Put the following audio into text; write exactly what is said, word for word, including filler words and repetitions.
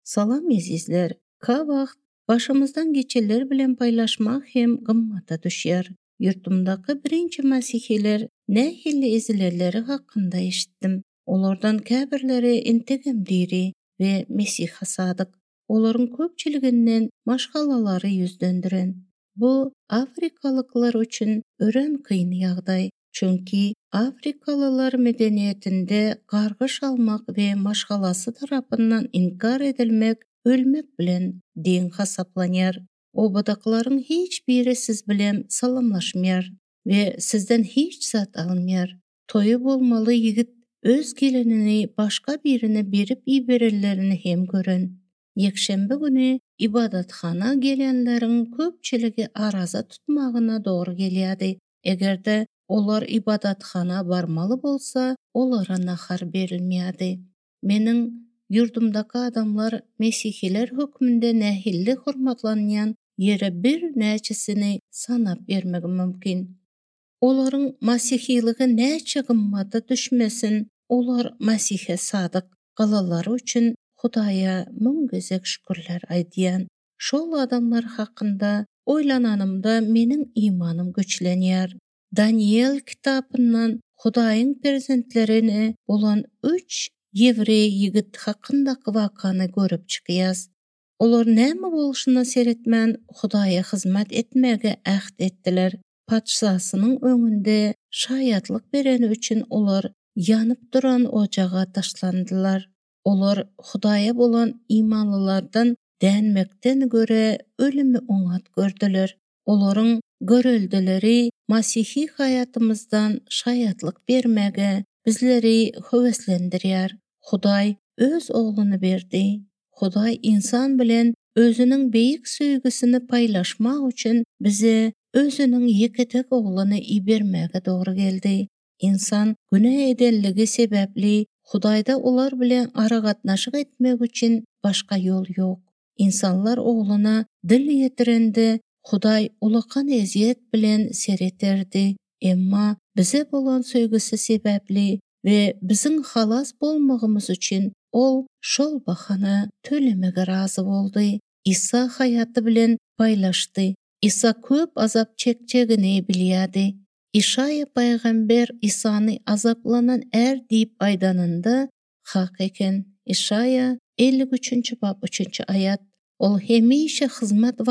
Salam azizler. Ka vaqt başımızdan geçenler bilen paylaşmak hem gımmata düşer. Yurtumdaki birinci masihiler ne hilli izilerleri hakkında eşittim. Olardan käbirleri integem diri ve Mesih'a sadık. Oların köpçüliginden maşgalaları yüzdendiren. Bu Afrikalıklar üçün ören kıyın yağday. Çünkü Afrikalılar medeniyetinde gargış almak ve maşgalası tarafından inkar edilmek, ölmek bilen din hasaplanyar. O badakların hiç biri siz bilen salamlaşmayar ve sizden hiç zat alınmayar. Toyu bolmalı yigit öz gelinini başka birine berip ibererlerini hem görün. Yekşembe günü ibadathana gelenlerin köpçüligi araza tutmağına doğru gelýärdi. Egerde olar ibadathana barmalı bolsa, olara nahar berilmeýärdi. Meniň yurdumdaky adamlar Mesihiler hökmünde nähilli hormatlanýan ýere bir näçesini sanap bermegi mümkin. Olaryň masihiligi näçe gymmaty düşmesin, olar Mesihe sadyk galalary üçin Hudaýa müň gezek şükürler aýdýan. Şol adamlar hakynda oýlananymda meniň imanım güçlenýär. Daniel kitapyndan Hudaýyň prezentlerini bolan üç Ýewrey ýigit hakyndaky wakany görüp çykýas. Olar näme bolşyna seretmän Hudaýa hyzmat etmäge ähd etdiler. Padşasynyň öňünde şaýatlyk bereni üçin olar ýanyp duran ojaga taşlandylar. Olar Hudaýa bolan imanlylardan dänmekden göre ölümi oňat gördüler. Olaryň göreldileri Masihi hayatımızdan şaýatlyk bermege bizleri höweslendirýär. Hudaý öz ogluny berdi. Hudaý insan bilen özüniň beýik söýgüsini paýlaşmak üçin bize özüniň ýeketek ogluny ibermäge dogry geldi. İnsan günä edenligi sebäpli Hudaýda olar bilen aragatnaşyk etmek üçin başga ýol ýok. İnsanlar ogluna dil ýetirende Hudaý ulakan eziyet bilen sereterdi. Emma bize bolan söýgüsi sebäpli ve biziň halas bolmagymyz üçin ol şol bahany tölemege razy boldy. İsa hayaty bilen paýlaşdy. İsa köp azap çekjegini bilýärdi. İşaya paýgamber İsany azaplanan er diýip aýdanynda hak eken. İşaya ellik üçinçi bab üçinçi ayat. Ol hemişe hyzmat